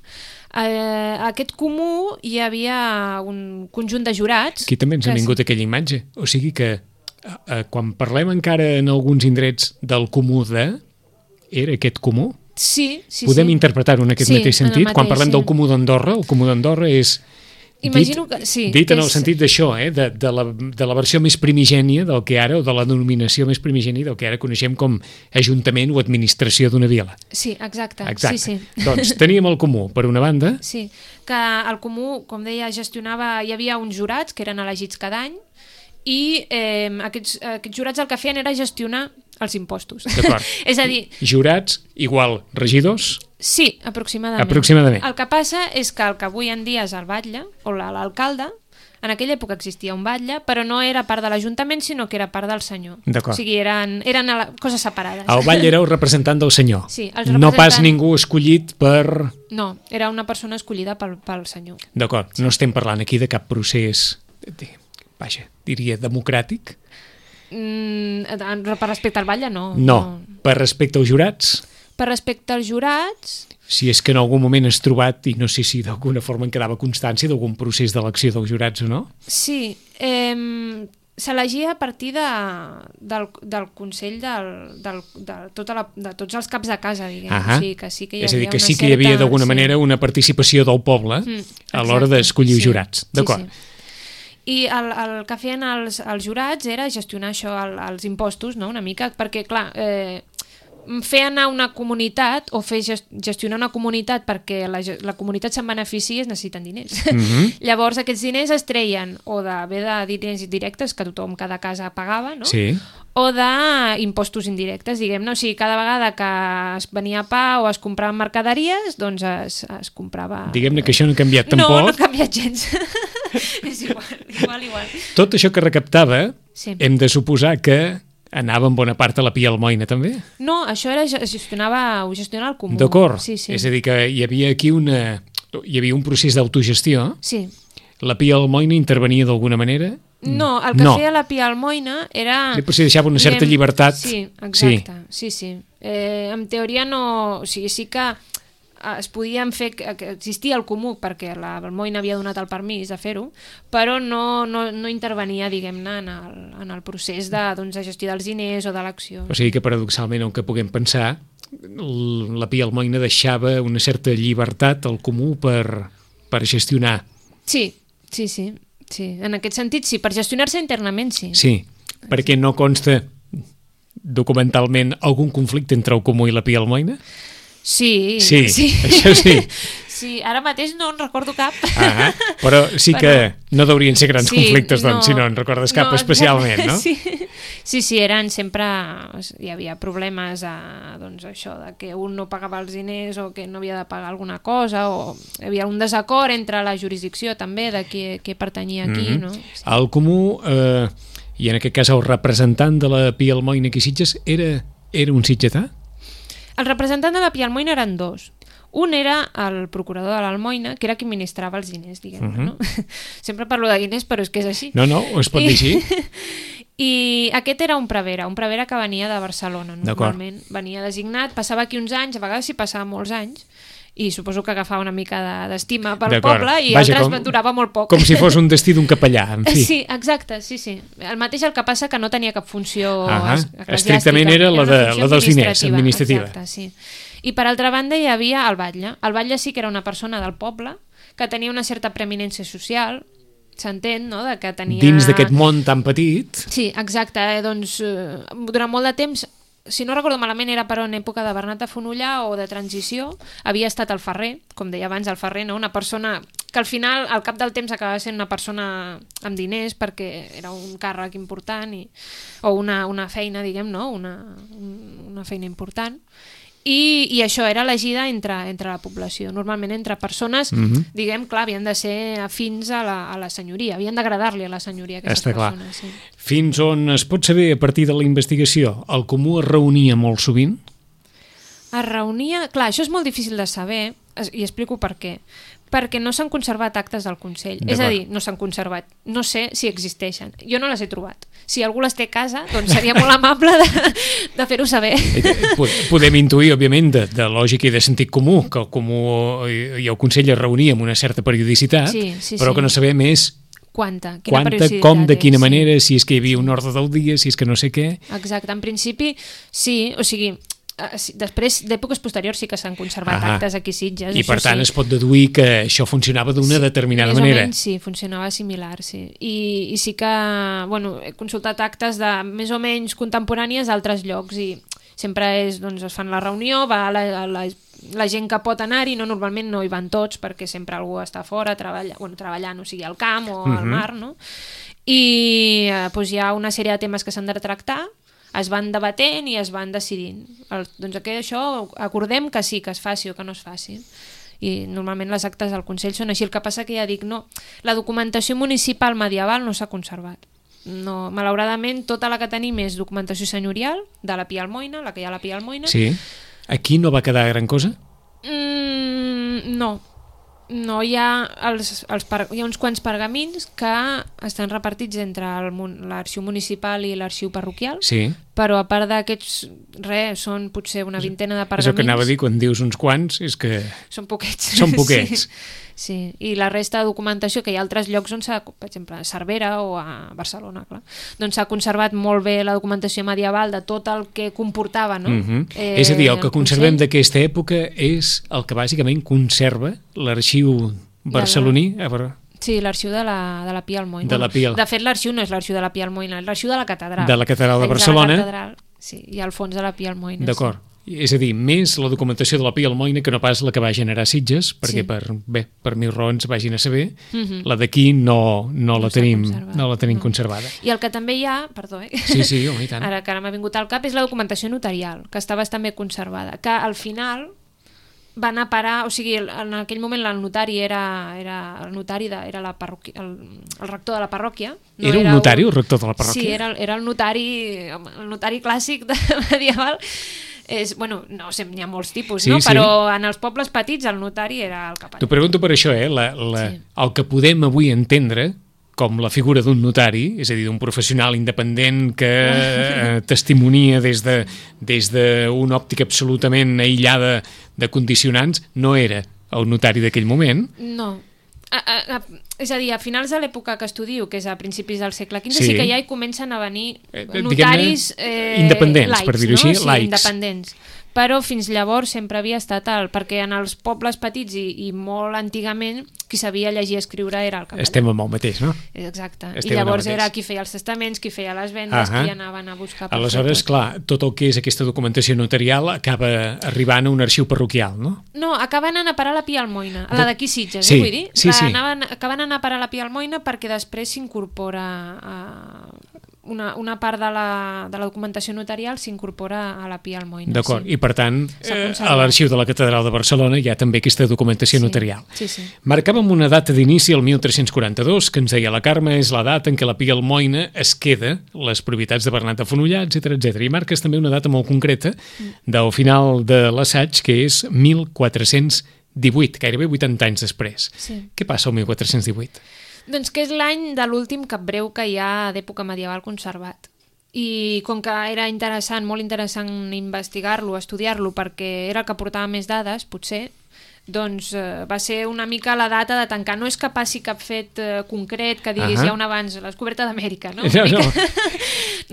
Eh, aquest comú hi havia un conjunt de jurats... Aquí també ens ha que vingut sí. aquella imatge. O sigui que eh, eh, quan parlem encara en alguns indrets del comú de... Era aquest comú? Sí, sí, Podem sí. interpretar-ho en aquest Sí, mateix en el sentit? Quan mateix, parlem sí. del comú d'Andorra, el comú d'Andorra és... Imagino dit, que sí, dit en que el és- sentit d'això, eh? de, de, la, de la versió més primigènia del que ara, o de la denominació més primigènia del que ara coneixem com Ajuntament o Administració d'una vila. Sí, exacte. Exacte. Sí, sí. Doncs teníem el comú, per una banda, Sí, que el comú, com deia, gestionava... Hi havia uns jurats que eren elegits cada any i eh, aquests, aquests jurats el que feien era gestionar els impostos. D'acord. És a dir, jurats igual regidors, sí, aproximadament. Aproximadament. El que passa és que el que avui en dia és el batlle, o la- l'alcalde, en aquella època existia un batlle, però no era part de l'Ajuntament, sinó que era part del senyor. D'acord. O sigui, eren, eren a la- coses separades. el batlle era el representant del senyor. Sí, els No pas representant- ningú escollit per... No, era una persona escollida pel, pel senyor. D'acord, no estem parlant aquí de cap procés, de, vaja, diria democràtic. Mm, per respecte al batlle, no. No, per respecte als jurats, Per respecte als jurats, si és que en algun moment has trobat, i no sé si d'alguna forma en quedava constància d'algun procés d'elecció dels jurats o no. sí, eh, s'elegia a partir de, del, del Consell del, del, de, tota la, de tots els caps de casa, diguem. Ahà. O sigui, que sí que hi És a dir, havia que una sí que hi havia certa- d'alguna sí. manera una participació del poble Mm, a l'hora exacte, d'escollir sí, jurats. D'acord. Sí, sí. I el, el que feien els, els jurats era gestionar això, el, els impostos, no? Una mica, perquè, clar, eh, fer anar una comunitat o fer gest- gestionar una comunitat perquè la, ge- la comunitat se'n benefici es necessiten diners. Mhm. Llavors aquests diners es treien o de bé de diners directes que tothom, cada casa pagava, no? Sí. O d'impostos indirectes, diguem-ne. O sigui, cada vegada que es venia pa o es compraven mercaderies, doncs es, es comprava... Diguem-ne que això no ha canviat No, tampoc. no ha canviat gens. És igual, igual, igual. Tot això que recaptava, Sí. hem de suposar que anava en bona part a la Pia Almoina també? No, això era, es gestionava, ho gestionava el comú. D'acord. Sí, sí. És a dir, que hi havia aquí una... hi havia un procés d'autogestió. Sí. La Pia Almoina intervenia d'alguna manera? No, el que No. feia la Pia Almoina era... Sí, potser deixava una certa diguem, llibertat. Sí, exacte. Sí, sí. sí. Eh, en teoria no... O sigui, sí que eh, es podien fer... que que existia el comú perquè la Almoina havia donat el permís de fer-ho, però no, no, no intervenia, diguem-ne, en, el, en el procés de, doncs, de gestió dels diners o de l'acció. O sigui que paradoxalment el que puguem pensar, l- la Pia Almoina deixava una certa llibertat al comú per, per gestionar. Sí, sí, sí. Sí, en aquest sentit sí, per gestionar-se internament sí. Sí, perquè no consta documentalment algun conflicte entre el comú i la Pia Almoina? Sí, Sí, sí. això sí. Sí, ara mateix no en recordo cap. Ah, però sí que Però- no deurien ser grans Sí, conflictes, doncs, no, si no en recordes cap no, especialment, no? Sí. sí, sí, eren sempre... Hi havia problemes, a, doncs això, de que un no pagava els diners o que no havia de pagar alguna cosa, o hi havia un desacord entre la jurisdicció també, de qui, qui pertanyia a qui, Mhm. no? Sí. El comú, eh, i en aquest cas el representant de la Pia Almoina aquí a Sitges, era, era un sitgetà? El representant de la Pia Almoina eren dos. Un era el procurador de l'Almoina, que era qui administrava els diners, diguem-ne, Mhm. no? Sempre parlo de diners, però és que és així. No, no, es pot dir així? I aquest era un prevere, un prevere que venia de Barcelona, D'acord. normalment. Venia designat, passava aquí uns anys, a vegades s'hi passava molts anys, i suposo que agafava una mica de- d'estima pel D'acord. poble i Vaja, altres com- durava molt poc. Com si fos un destí d'un capellà, en fi. Sí, exacte, sí, sí. El mateix el que passa que no tenia cap funció Ahà. es- eclesiàstica. Estrictament era la una de- funció la dels diners, administrativa. administrativa. Exacte, sí. I per altra banda hi havia el batlle. El batlle sí que era una persona del poble que tenia una certa preeminència social, s'entén, no?, de que tenia... Dins d'aquest món tan petit, Sí, exacte. Eh? Doncs eh, durant molt de temps, si no recordo malament, era però en època de Bernat de Fonollà o de transició, havia estat el ferrer, com deia abans el ferrer, no? Una persona que al final, al cap del temps, acabava sent una persona amb diners perquè era un càrrec important i, o una, una feina, diguem, no? Una, un- una feina important. I, i això era elegida entre, entre la població, normalment entre persones, Mhm. diguem, clar, havien de ser afins a la, a la senyoria, havien d'agradar-li a la senyoria aquestes Està clar. persones. Sí. Fins on es pot saber a partir de la investigació? El Comú es reunia molt sovint? Es reunia... Clar, això és molt difícil de saber, es- i explico per què. Perquè no s'han conservat actes del Consell. És a D'acord. dir, no s'han conservat. No sé si existeixen. Jo no les he trobat. Si algú les té a casa, doncs seria molt amable de, de fer-ho saber. Po- Podem intuir, òbviament, de, de lògica i de sentit comú, que el Comú i i el Consell es reunia amb una certa periodicitat, Sí, sí, però sí. que no sabem és Quanta? Quina quanta, periodicitat com, de és, quina sí. manera, si és que hi havia un ordre del dia, si és que no sé què... Exacte, en principi sí, o sigui, eh, sí, després d'èpoques posteriors sí que s'han conservat Ahà. actes aquí a Sitges. I això per tant sí. es pot deduir que això funcionava d'una determinada Més manera. o menys, sí, funcionava similar, sí. I, i sí que, bueno, he consultat actes de més o menys contemporànies d'altres llocs i sempre és, doncs, es fan la reunió, va la, la, la gent que pot anar-hi, no, normalment no hi van tots perquè sempre algú està fora treballa, bueno, treballant, o sigui, al camp o al Mhm. mar, no? I eh, doncs hi ha una sèrie de temes que s'han de tractar, es van debatent i es van decidint. El, doncs que això acordem que sí, que es faci o que no es faci. I normalment les actes del Consell són així. El que passa que ja dic, no, la documentació municipal medieval no s'ha conservat. No, malauradament, tota la que tenim és documentació senyorial, de la Pia Almoina, la que hi ha a la Pia Almoina. Sí. Aquí no va quedar gran cosa? Mm, no. No, hi ha, els, els per, hi ha uns quants pergamins que estan repartits entre el mun- l'arxiu municipal i l'arxiu parroquial, Sí. però a part d'aquests, res, són potser una vintena de És pergamins. el que anava a dir, quan dius uns quants, és que Són poquets. són poquets. Sí, sí. I la resta de documentació, que hi ha altres llocs on s'ha, per exemple, a Cervera o a Barcelona, clar, doncs s'ha conservat molt bé la documentació medieval de tot el que comportava, no? Mhm. Eh, És a dir, el que conservem Consell. d'aquesta època és el que bàsicament conserva l'arxiu barceloní. A veure, Sí, l'arxiu de la, de la Pia Almoina. De la Pia. De fet, l'arxiu no és l'arxiu de la Pia Almoina, és l'arxiu de la catedral. De la catedral de Dins Barcelona. la catedral, sí, i al fons de la Pia Almoina. d'acord. És a dir, més la documentació de la Pia Almoina que no pas la que va generar Sitges, perquè Sí. per, bé, per mil raons vagin a saber, Sí. Mhm. la d'aquí no, no, No la s'ha tenim, conservat, no la tenim no. conservada. I el que també hi ha, perdó, eh? Sí, sí, home, i tant. Ara que ara m'ha vingut al cap, és la documentació notarial, que està bastant bé conservada, que al final va anar a parar, o sigui, en aquell moment el notari era, era el notari de, era la parròquia, el, el rector de la parròquia. No Era un notari, el rector de la parròquia? Sí, era, era el notari, home, el notari clàssic de medieval. És, bueno, no sé, n'hi ha molts tipus, Sí, no? sí. Però en els pobles petits el notari era el capellà. T'ho pregunto per això, eh? La, la, Sí. el que podem avui entendre com la figura d'un notari, és a dir, d'un professional independent que eh, testimonia des de des d'una òptica absolutament aïllada de condicionants, no era el notari d'aquell moment. No. A, a, a, és a dir, a finals de l'època que estudio, que és a principis del segle quinze, Sí. sí, que ja hi comencen a venir Eh, notaris diguem-ne, independents, laics, per dir-ho no? així, sí, laics. independents. Però fins llavors sempre havia estat el... Perquè en els pobles petits i, i molt antigament, qui sabia llegir i escriure era el capellà. Estem amb el mateix, no? Exacte. Estem I llavors en el mateix. era qui feia els testaments, qui feia les vendes, Ahà. qui anaven a buscar... per Aleshores, fer tot. clar, tot el que és aquesta documentació notarial acaba arribant a un arxiu parroquial, no? No, acaben anant a parar a la Pia Almoina, a la d'aquí Sitges, Sí, eh, vull dir? sí, la, sí. Anaven, acaben anant a parar a la Pia Almoina perquè després s'incorpora a una, una part de la, de la documentació notarial s'incorpora a la Pia Almoina. D'acord, sí. i per tant, S'ha eh, conservat. a l'arxiu de la Catedral de Barcelona hi ha també aquesta documentació Sí, notarial. sí, sí. Marcàvem una data d'inici, el mil tres-cents quaranta-dos, que ens deia la Carme, és la data en què la Pia Almoina es queda les propietats de Bernat de Fonollar, etcètera, etcètera. I marques també una data molt concreta del final de l'assaig, que és mil quatre-cents divuit, gairebé vuitanta anys després. Sí. Què passa al mil quatre-cents divuit? Doncs que és l'any de l'últim capbreu que hi ha d'època medieval conservat. I com que era interessant, molt interessant investigar-lo, estudiar-lo, perquè era el que portava més dades, potser, doncs eh, va ser una mica la data de tancar. No és que passi cap fet eh, concret que diguis Ahà. hi ha un abans, la descoberta d'Amèrica, no? No, Una mica- no.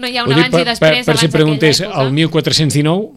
no hi ha Ho un dic abans i després, per, per si abans preguntés, d'aquella època. el mil quatre-cents dinou,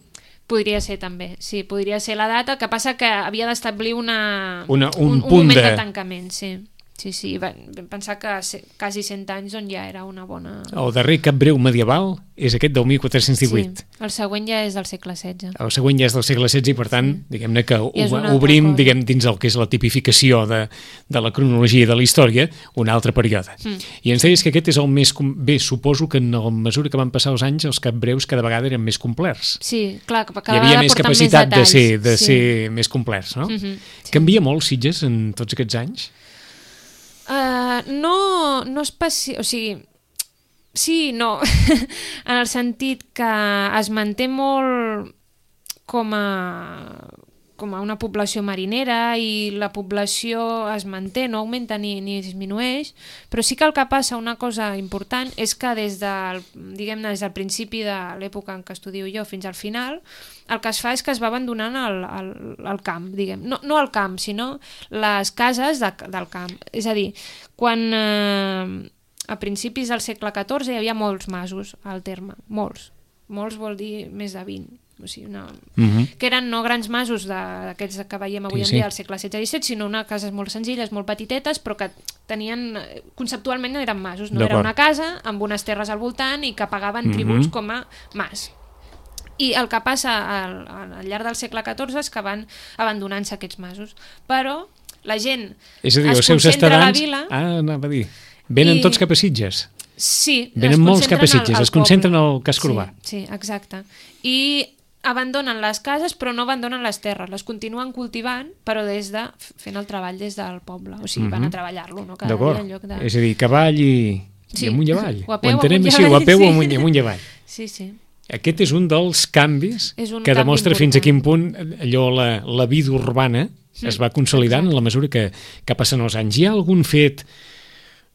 Podria ser també, sí, podria ser la data, que passa que havia d'establir una, Una- un un, un punt moment de- de tancament, sí. Sí, sí, vam vam pensar que se- quasi cent anys on ja era una bona... el darrer cap breu medieval, és aquest del mil quatre-cents divuit. Sí, el següent ja és del segle setze. El següent ja és del segle setze i, per tant, sí. diguem-ne que obrim, diguem, dins el que és la tipificació de, de la cronologia de la història, un altre període. Mm. I ens deies que aquest és el més... Bé, suposo que en la mesura que van passar els anys, els capbreus cada vegada eren més complerts. Sí, clar, que cada vegada porten més detalls. Hi havia més capacitat de ser, de sí. ser més complerts, no? Mm-hmm, sí. Canvia molt Sitges en tots aquests anys? Uh, no, no especi... O sigui... Sí, no, en el sentit que es manté molt com a, com a una població marinera i la població es manté, no augmenta ni, ni disminueix, però sí que el que passa, una cosa important, és que des del, diguem-ne, des del principi de l'època en què estudio jo fins al final, el que es fa és que es va abandonant el, el, el camp, diguem. No, no el camp, sinó les cases de, del camp. És a dir, quan... Eh, a principis del segle catorze hi havia molts masos al terme, molts. Molts vol dir més de vint. O sigui, una... uh-huh. que eren no grans masos d'aquests que veiem avui sí, en dia sí. al segle setze disset, sinó una cases molt senzilles, molt petitetes, però que tenien, conceptualment no eren masos, no? Era una casa amb unes terres al voltant i que pagaven uh-huh. tributs com a mas. I el que passa al, al llarg del segle catorze és que van abandonant-se aquests masos. Però la gent és a dir, es concentra a la vila... Ah, anava a dir... Venen I... tots cap a Sitges? Sí. Venen molts cap a Sitges, al, al es concentren al casc urbà. Sí, sí, exacte. I abandonen les cases però no abandonen les terres, les continuen cultivant però des de, fent el treball des del poble, o sigui, mm-hmm. van a treballar-lo, no? Cada dia en lloc de... És a dir, cavall i, sí. i amunt i avall. O a peu, amunt i avall. Sí, o a peu sí. amunt, i amunt i avall. Sí, sí. Aquest és un dels canvis un que canvi demostra important. Fins a quin punt allò, la, la vida urbana mm. es va consolidant en la mesura que, que passen els anys. Hi ha algun fet...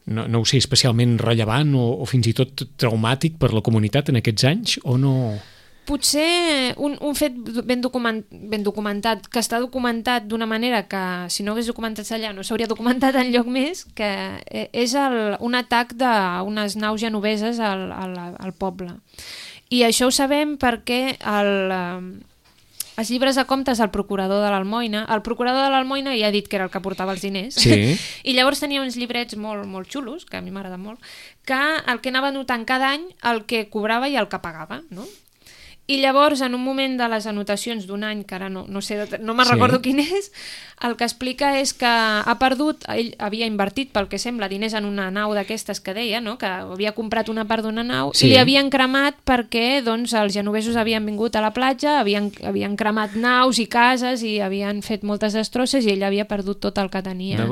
No, no ho sé, especialment rellevant o, o fins i tot traumàtic per la comunitat en aquests anys, o no? Potser un, un fet ben, document, ben documentat, que està documentat d'una manera que si no hagués documentat allà no s'hauria documentat enlloc més, que és el, un atac d'unes naus genoveses al, al, al poble. I això ho sabem perquè el... Els llibres de comptes del procurador de l'Almoina, el procurador de l'Almoina ja ha dit que era el que portava els diners, sí. i llavors tenia uns llibrets molt, molt xulos, que a mi m'agrada molt, que el que anava notant cada any el que cobrava i el que pagava, no? I llavors, en un moment de les anotacions d'un any, que ara no, no sé, no me'n sí. recordo quin és, el que explica és que ha perdut, ell havia invertit, pel que sembla, diners en una nau d'aquestes que deia, no? Que havia comprat una part d'una nau sí. i li havien cremat perquè doncs, els genovesos havien vingut a la platja, havien, havien cremat naus i cases i havien fet moltes destrosses i ell havia perdut tot el que tenia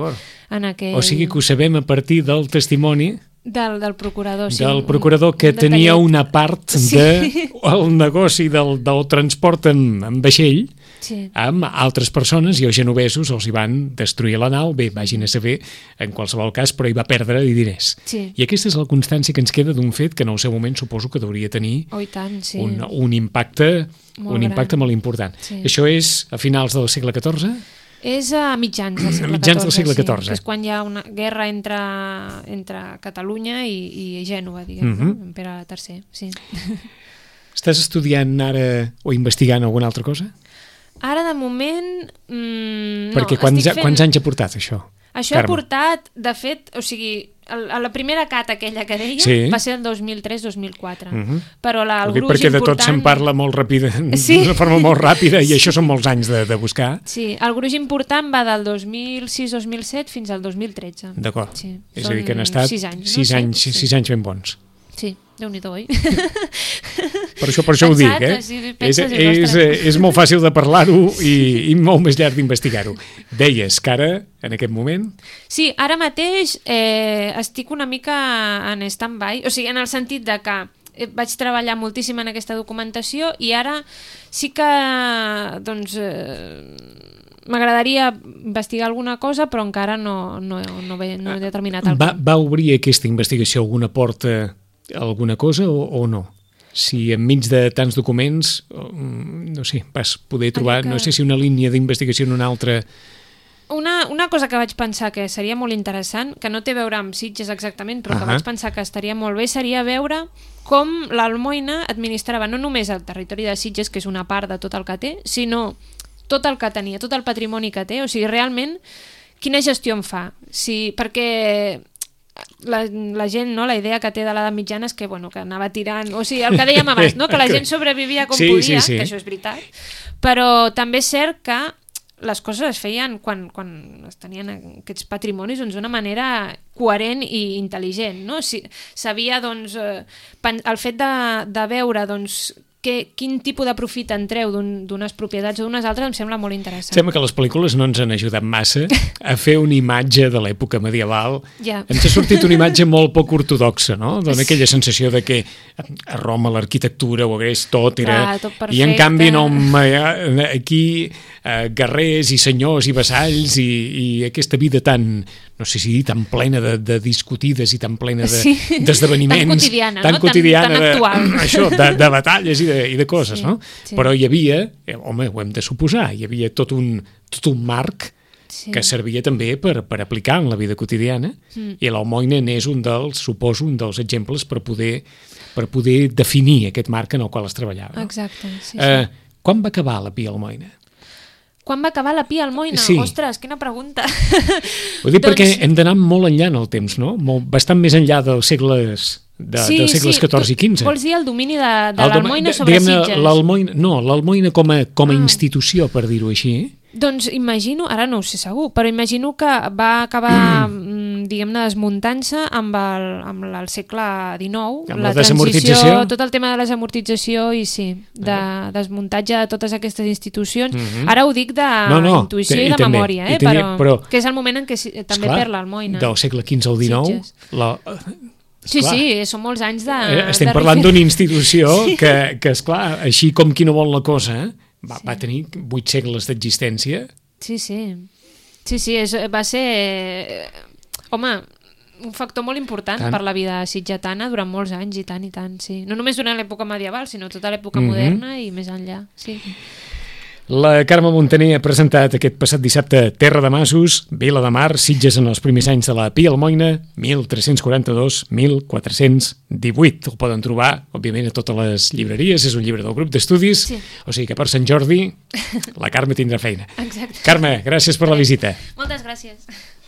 en aquell... O sigui que ho sabem a partir del testimoni Del, del procurador, sí. Del procurador que tenia una part sí. del negoci del, del transport en, en vaixell sí. amb altres persones i els genovesos els hi van destruir la nau, bé, vagin a saber en qualsevol cas, però hi va perdre diners. Sí. I aquesta és la constància que ens queda d'un fet que en el seu moment suposo que hauria tenir oh, tant, sí. un, un impacte molt un impacte gran. molt important. Sí. Això és a finals del segle catorze? És a mitjans del segle mitjans del segle catorze. Sí, és quan hi ha una guerra entre, entre Catalunya i, i Gènova, diguem, uh-huh. no? Pere tercer, sí. Estàs estudiant ara o investigant alguna altra cosa? Ara, de moment, mmm, Perquè no. Quants, fent... quants anys ha portat això? Això Carme? ha portat, de fet, o sigui, a la primera cata aquella que deia sí. va ser el dos mil tres dos mil quatre. Uh-huh. Però la, el gruix perquè important... de tot se'n parla molt ràpida, sí. d'una forma molt ràpida, i això són molts anys de, de buscar. Sí, el gruix important va del dos mil sis dos mil set fins al dos mil tretze. D'acord. Sí. És a dir, que han estat sis anys, sis, no? anys, sí. sis anys ben bons. Sí, Déu-n'hi-do, oi? Per això, per això ho dic, eh? Sí, és, és, és molt fàcil de parlar-ho i, i molt més llarg d'investigar-ho. Deies que ara, en aquest moment... Sí, ara mateix eh, estic una mica en stand-by, o sigui, en el sentit de que vaig treballar moltíssim en aquesta documentació i ara sí que, doncs... Eh, m'agradaria investigar alguna cosa, però encara no, no, no, he, no he determinat el va, va obrir aquesta investigació alguna porta alguna cosa o, o no? Si enmig de tants documents, no sé, vas poder trobar, que... no sé si una línia d'investigació en una altra... Una, una cosa que vaig pensar que seria molt interessant, que no té a veure amb Sitges exactament, però uh-huh. que vaig pensar que estaria molt bé, seria veure com l'Almoina administrava no només el territori de Sitges, que és una part de tot el que té, sinó tot el que tenia, tot el patrimoni que té, o sigui, realment, quina gestió en fa? Si, perquè la, la gent, no, la idea que té de l'edat mitjana és que, bueno, que anava tirant, o sigui, el que dèiem abans, no, que la gent sobrevivia com sí, podia, sí, sí. que això és veritat, però també és cert que les coses es feien quan, quan es tenien aquests patrimonis doncs, d'una manera coherent i intel·ligent, no? Si, sabia, doncs, eh, el fet de, de veure, doncs, que, quin tipus de profit en treu d'unes propietats o d'unes altres em sembla molt interessant. Sembla que les pel·lícules no ens han ajudat massa a fer una imatge de l'època medieval. Ja. Ens ha sortit una imatge molt poc ortodoxa, no? Dona aquella sensació de que a Roma l'arquitectura ho hagués tot, era... Clar, tot perfecte. I en canvi no, aquí eh, guerrers i senyors i vassalls i, i aquesta vida tan, no sé si dir, tan plena de, de discutides i tan plena d'esdeveniments. De, tan quotidiana, tan no? quotidiana, tan, tan actual. De, això, de, de batalles i de, i de coses, sí, no? Sí. Però hi havia, eh, home, ho hem de suposar, hi havia tot un, tot un marc sí. que servia també per, per aplicar en la vida quotidiana mm. i l'Almoina n'és un dels, suposo, un dels exemples per poder, per poder definir aquest marc en el qual es treballava. Exacte, sí, sí. Eh, quan va acabar la Pia Almoina? Quan va acabar la Pia Almoina? Sí. Ostres, quina pregunta. Ho dic doncs... perquè hem d'anar molt enllà en el temps, no? Molt, bastant més enllà dels segles... De, sí, dels segles sí. catorze i quinze. Vols dir el domini de, de l'Almoina sobre Sitges? No, l'Almoina com a, com a ah. institució, per dir-ho així. Doncs imagino, ara no ho sé segur, però imagino que va acabar, mm. diguem-ne, desmuntant-se amb, el, amb el segle dinou, amb la, la transició, tot el tema de la desamortització i sí, de ah. desmuntatge de totes aquestes institucions. Mm-hmm. Ara ho dic d'intuïció no, no, i de i memòria, eh? Tenia, però, però, que és el moment en què si, també esclar, perd l'Almoina. Del segle quinze al dinou, la... Sí, esclar, sí, són molts anys de... Estem de parlant d'una institució sí. que, que, esclar, així com qui no vol la cosa, va, sí. va tenir vuit segles d'existència. Sí, sí. Sí, sí, és, va ser... Home, un factor molt important tant. Per la vida sitgetana durant molts anys, i tant, i tant, sí. No només durant l'època medieval, sinó tota l'època mm-hmm. moderna i més enllà, sí. La Carme Montaner ha presentat aquest passat dissabte Terra de Masos, Vila de Mar, Sitges en els primers anys de la Pia Almoina, mil tres-cents quaranta-dos a mil quatre-cents divuit. El poden trobar, òbviament, a totes les llibreries, és un llibre del grup d'estudis, sí. O sigui que per Sant Jordi la Carme tindrà feina. Exacte. Carme, gràcies per la visita. Moltes gràcies.